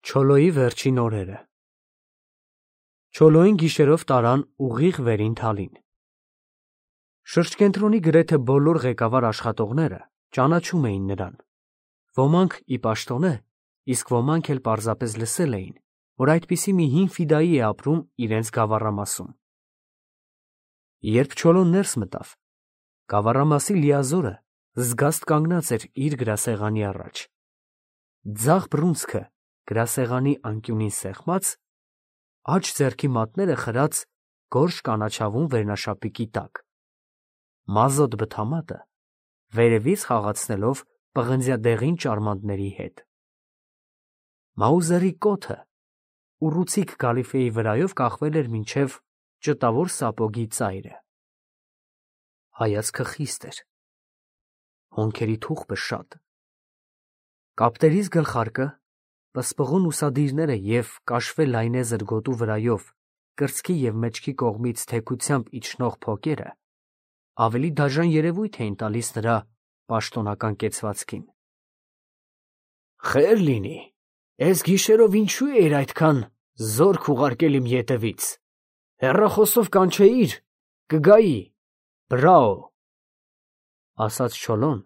Չոլոյի վերջին օրերը Չոլոյին գիշերով տարան ուղիղ վերին թալին։ Շրջկենտրոնի գրեթե բոլոր ղեկավար աշխատողները ճանաչում էին նրան։ Ոմանք ի պաշտոնե, իսկ ոմանք էլ պարզապես լսել էին, որ այդպիսի մի հին ֆիդայի է ապրում իրենց գավառամասում։ Երբ Չոլոն ներս մտավ, գավառամասի լիազորը զգաստ կանգնած էր իր գրասեղանի առաջ։ Ձախ բռունցքը գրասեղանի անկյունին սեղմած, աջ ձեռքի մատները խրած գորշ կանաչավուն վերնաշապիկի տակ, մազոտ բթամատը վերևից խաղացնելով պղնձյադեղին ճարմանտների հետ։ Մաուզերի կոթը ուռուցիկ գալիֆեի վրայով կախվել էր մինչև ճտավոր սապոգի ծայրը։ Հայացքը խիստ էր, հոնքերի թուխը շատ։ Կապտերից գլխարկը, պսպղուն ուսադիրները և կաշվե լայնեզր գոտու վրայով կրծքի և մեջքի կողմից թեքությամբ իջնող փոկերը ավելի դաժան երևույթ էին տալիս նրա պաշտոնական կեցվածքին։ Խեր լինի, էս գիշերով ինչու էիր այդքան զորք ուղարկել իմ ետևից, հեռախոսով կանչեիր, կգայի, բրաո, ասաց Չոլոն,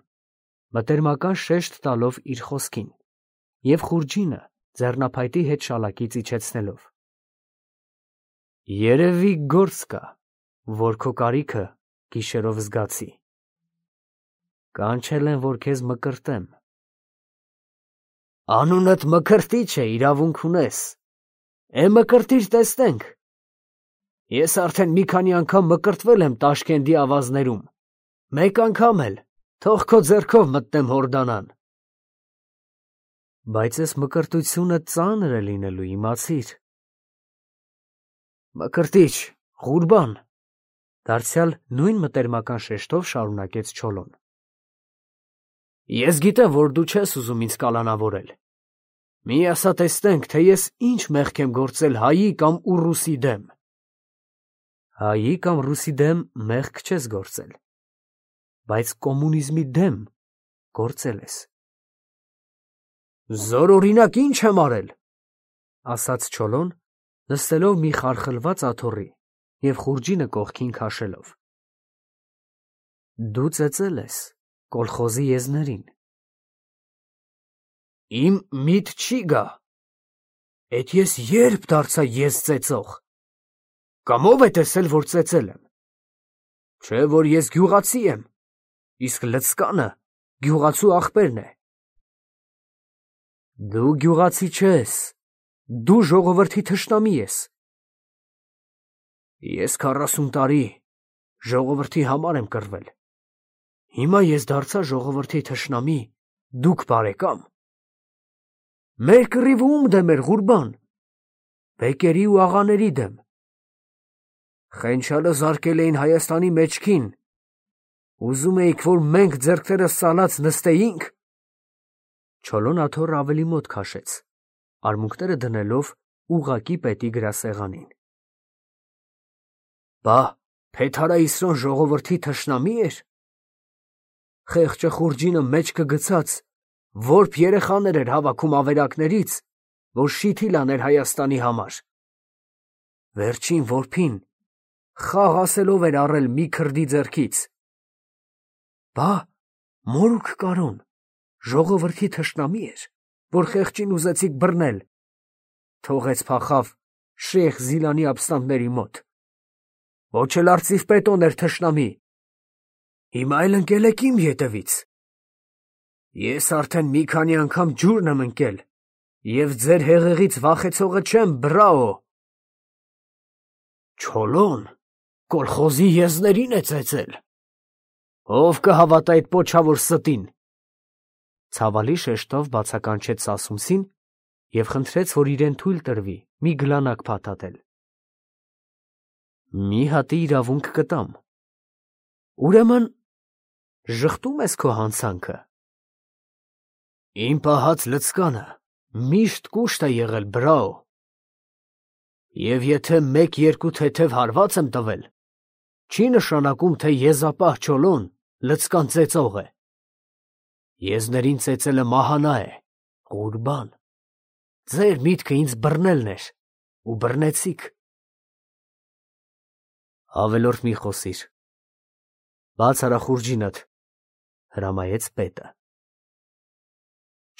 մտերմական շեշտ տալով իր խոսքին և խուրջինը ձեռնափայտի հետ շալակից իջեցնելով։ Երևի գործ կա, որ քո կարիքը գիշերով զգացի։ Կանչել են, որ քեզ մկրտեմ։ Անունդ Մկրտիչ է, իրավունք ունես։ Մկրտիր տեսնենք։ Ես արդեն մի քանի անգամ մկրտվել եմ Տաշկենտի ավազներում, մեկ անգամ էլ, թող քո ձեռքով մտնեմ հորդանան։ Բայց այս մկրտությունը ծանր է լինելու, իմացիր։ Մկրտիչ, Ղուրբան, դարձյալ նույն մտերմական շեշտով շարունակեց Չոլոն։ Ես գիտեմ, որ դու չես ուզում ինձ կալանավորել։ Մի ասա տեսնենք, թե ես ինչ մեղք եմ գործել հայի կամ ուռուսի դեմ։ Հայի կամ ռուսի դեմ մեղք չես գործել, բայց կոմունիզմի դեմ գործել ես։ Զորօրինակ ինչ եմ արել, ասաց Չոլոն, նստելով մի խարխլված աթոռի և խուրջինը կողքին քաշելով։ Դու ծեծել ես կոլխոզի եզներին։ Իմ միտ չի գա, էդ ես երբ դարձա ես ծեծող, կամ ով է տեսել, որ ծեծել եմ, չէ, որ ես գյուղացի եմ, իսկ լցկանը գյուղացու ախպերն է։ Դու գյուղացի չես, դու ժողովրդի թշնամի ես։ Ես 40 տարի ժողովրդի համար եմ կռվել, հիմա ես դարձա ժողովրդի թշնամի, դուք բարեկամ։ Մեր կռիվը ում դեմ էր, Ղուրբան, բեկերի ու աղաների դեմ։ Խենչալը զարկել էին Հայաստանի մեջքին, ուզում էիք, որ մենք ձեռքներս սալած նստեինք։ Չոլոն աթոռը ավելի մոտ քաշեց, արմունկները դնելով ուղղակի պետի գրասեղանին։ Բա Փեթարայիսրոն ժողովրդի թշնամի էր։ Խեղճը խուրջինը մեջքը գցած, որբ երեխաներ էր հավաքում ավերակներից, որ շիթիլ աներ Հայաստանի համար։ Վերջին որբին խաղ ասելով էր առել մի քրդի ձեռքից։ Բա Մորուք Կարոն ժողովրդի թշնամի էր, որ խեղճին ուզեցիք բռնել, թողեց փախավ Շեյխ Զիլանի ապստամբների մոտ։ Ոչ էլ արծիվպետոն էր թշնամի, հիմա էլ ընկել եք իմ ետևից։ Ես արդեն մի քանի անգամ ջուրն եմ ընկել, և ձեր հեղեղից վախեցողը չեմ, բրաո։ Չոլոն, կոլխոզի եզներին է ծեծել։ Ով կհավատա այդ պոչավոր ստին։ Ցավալի շեշտով բացականչեց Սասունցին և խնդրեց, որ իրեն թույլ տրվի մի գլանակ փաթաթել։ Մի հատի իրավունք կտամ։ Ուրեմն ժխտում ես քո հանցանքը։ Իմ պահած լցկանը միշտ կուշտ է եղել, բրաո։ Եվ եթե մեկ-երկու թեթև հարված եմ տվել, չի նշանակում, թե եզապահ Չոլոն լցկան ծեծող է։ Եզներին ծեծելը մահանա է, Ղուրբան, Ձեր միտքը ինձ բռնելն էր, ու բռնեցիք։ Ավելորդ մի խոսիր։ Բաց արա խուրջինդ, հրամայեց պետը։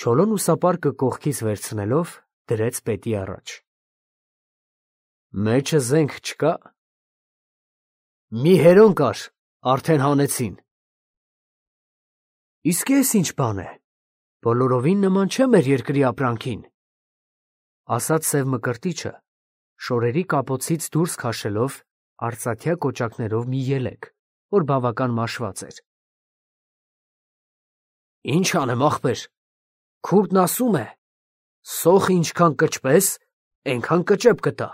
Չոլոն ուսապարկը կողքից վերցնելով դրեց պետի առաջ։ Մեջը զենք չկա։ Մի հերոն կար, արդեն հանեցին։ Իսկ ես ինչ բան է, բոլորովին նման չէ մեր երկրի ապրանքին, ասաց սև մկրտիչը, շորերի կապոցից դուրս քաշելով արծաթյա կոճակներով մի ելեք, որ բավական մաշված էր։ Ինչ անեմ, ախպեր, քուրդն ասում է, սոխը ինչքան կճպես, այնքան կճեպ կտա։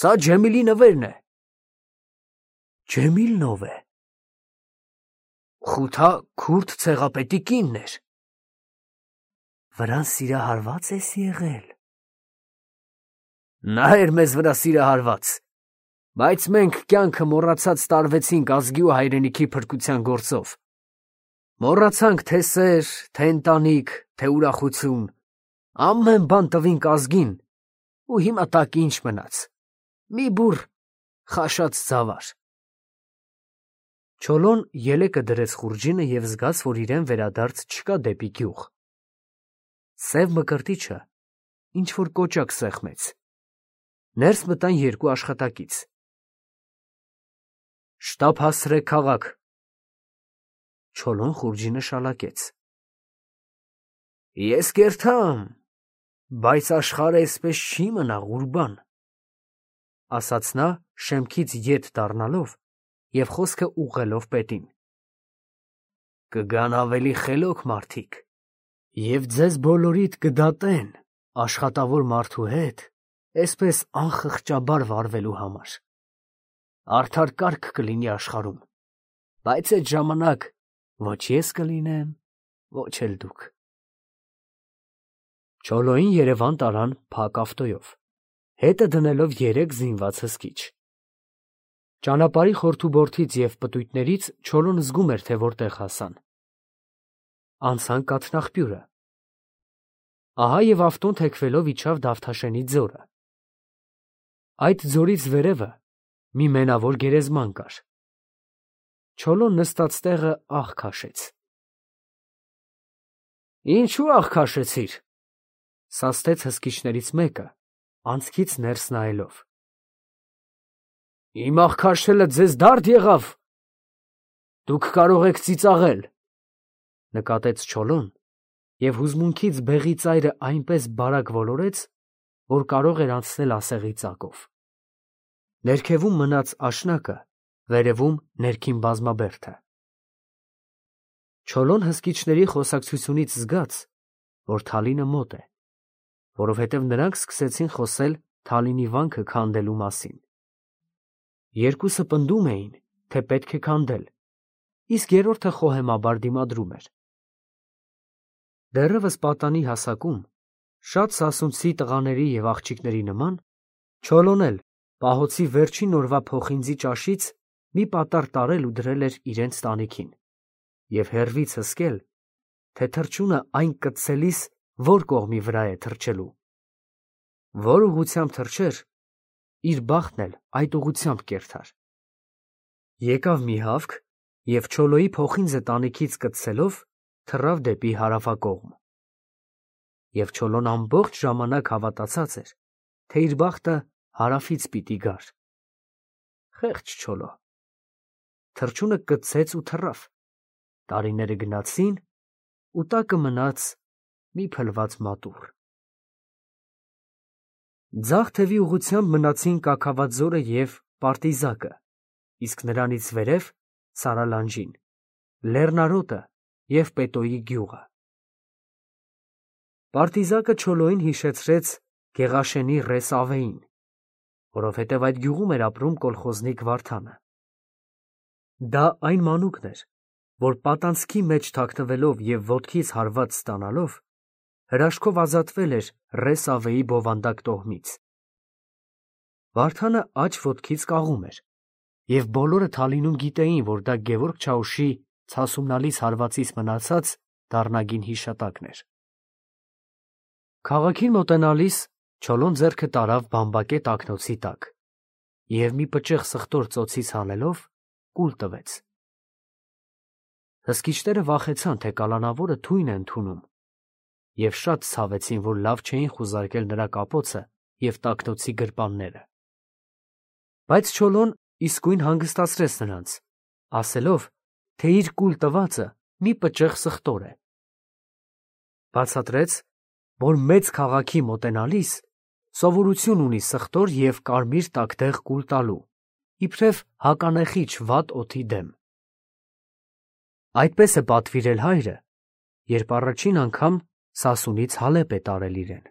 Սա Ջեմիլի նվերն է։ Ջեմիլն ով է։ Խութա քուրդ ցեղապետի կինն էր։ Վրան սիրահարված ես եղել։ Նա էր մեզ վրա սիրահարված, բայց մենք կյանքը մոռացած տարվեցինք ազգի ու հայրենիքի փրկության գործով։ Մոռացանք թե սեր, թե ընտանիք, թե ուրախություն, ամեն բան տվինք ազգին, ու հիմա տակ ինչ մնաց։ Մի բուռ խաշած ծավար։ Չոլոն ելեկը դրեց խուրջինը և զգաց, որ իրեն վերադարձ չկա դեպի գյուղ։ Սև մկրտիչը ինչ-որ կոճակ սեղմեց։ Ներս մտան երկու աշխատակից։ Շտապ հասցրեք քաղաք։ Չոլոն խուրջինը շալակեց։ Ես կերթամ, բայց աշխարհը էսպես չի մնա, Ղուրբան, ասաց նա շեմքից ետ դառնալով և խոսքը ուղղելով պետին։ Կգան ավելի խելոք մարդիկ, և ձեզ բոլորիդ կդատեն աշխատավոր մարդու հետ էսպես անխղճաբար վարվելու համար։ Արդար կարգ կլինի աշխարհում, բայց այդ ժամանակ ոչ ես կլինեմ, ոչ էլ դուք։ Չոլոին Երևան տարան փակ ավտոյով, հետը դնելով 3 զինված հսկիչ։ Ճանապարհի խորթուբորթից և պտույտներից Չոլոն զգում էր, թե որտեղ հասան։ Անցան կաթնաղբյուրը։ Ահա և ավտոն թեքվելով իջավ Դավթաշենի ձորը։ Այդ ձորից վերևը մի մենավոր գերեզման կար։ Չոլոն նստած տեղը աղ քաշեց։ Ինչու աղ քաշեցիր, սաստեց հսկիչներից մեկը, անցքից ներս նայելով։ Իմ աղ քաշելը ձեզ դարդ եղավ։ Դուք կարող եք ծիծաղել, նկատեց Չոլոն, և հուզմունքից բեղի ծայրը այնպես բարակ ոլորեց, որ կարող էր անցնել ասեղի ծակով։ Ներքևում մնաց աշնակը, վերևում ներքին բազմաբերդը։ Չոլոն հսկիչների խոսակցությունից զգաց, որ Թալինը մոտ է, որովհետև նրանք սկսեցին խոսել Թալինի վանքը քանդելու մասին։ Երկուսը պնդում էին, թե պետք է քանդել, իսկ երրորդը խոհեմաբար դիմադրում էր։ Դեռևս պատանի հասակում, շատ սասունցի տղաների և աղջիկների նման, Չոլոն էլ պահոցի վերջին օրվա փոխինձի ճաշից մի պատառ տարել ու դրել էր իրենց տանիքին, և հեռվից հսկել, թե թռչունը այն կծցելիս որ կողմի վրա է թռչելու։ Որ ուղղությամբ թռչեր, իր բախտն էլ այդ ուղղությամբ կերթար։ Եկավ մի հավք, և Չոլոյի փոխինձը տանիքից կծցելով թռավ դեպի հարավակողմ։ Եվ Չոլոն ամբողջ ժամանակ հավատացած էր, թե իր բախտը հարավից պիտի գար։ Խեղճ Չոլո։ Թռչունը կծեց ու թռավ, տարիները գնացին, ու տակը մնաց մի փլված մատուռ։ Ձախ թևի ուղղությամբ մնացին Կաքավաձորը և Պարտիզակը, իսկ նրանից վերև Սարալանջին, Լեռնարոտը և Պետոյի գյուղը։ Պարտիզակը Չոլոյին հիշեցրեց Գեղաշենի Ռես Ավեին, որովհետև այդ գյուղում էր ապրում կոլխոզնիկ Վարդանը։ Դա այն մանուկն էր, որ պատանցքի մեջ թաքնվելով և ոտքից հարված ստանալով, հրաշքով ազատվել էր Ռես Ավեի բովանդակ տոհմից։ Վարդանը աջ ոտքից կաղում էր, և բոլորը Թալինում գիտեին, որ դա Գևորգ Չաուշի ցասումնալից հարվածից մնացած դառնագին հիշատակն էր։ Քաղաքին մոտենալիս Չոլոն ձեռքը տարավ բամբակե տակնոցի տակ և մի պճեղ սխտոր ծոցից հանելով կուլ տվեց։ Հսկիչները վախեցան, թե կալանավորը թույն է ընդունում, և շատ ցավեցին, որ լավ չէին խուզարկել նրա կապոցը և տակնոցի գրպանները։ Բայց Չոլոն իսկույն հանգստացրեց նրանց, ասելով, թե իր կուլ տվածը մի պճեղ սխտոր է։ Բացատրեց, որ մեծ քաղաքի մոտենալիս սովորություն ունի սխտոր և կարմիր տակդեղ կուլ տալու, իբրև հականեխիչ վատ օդի դեմ։ Այդպես է պատվիրել հայրը, երբ առաջին անգամ Սասունից Հալեպ է տարել իրեն։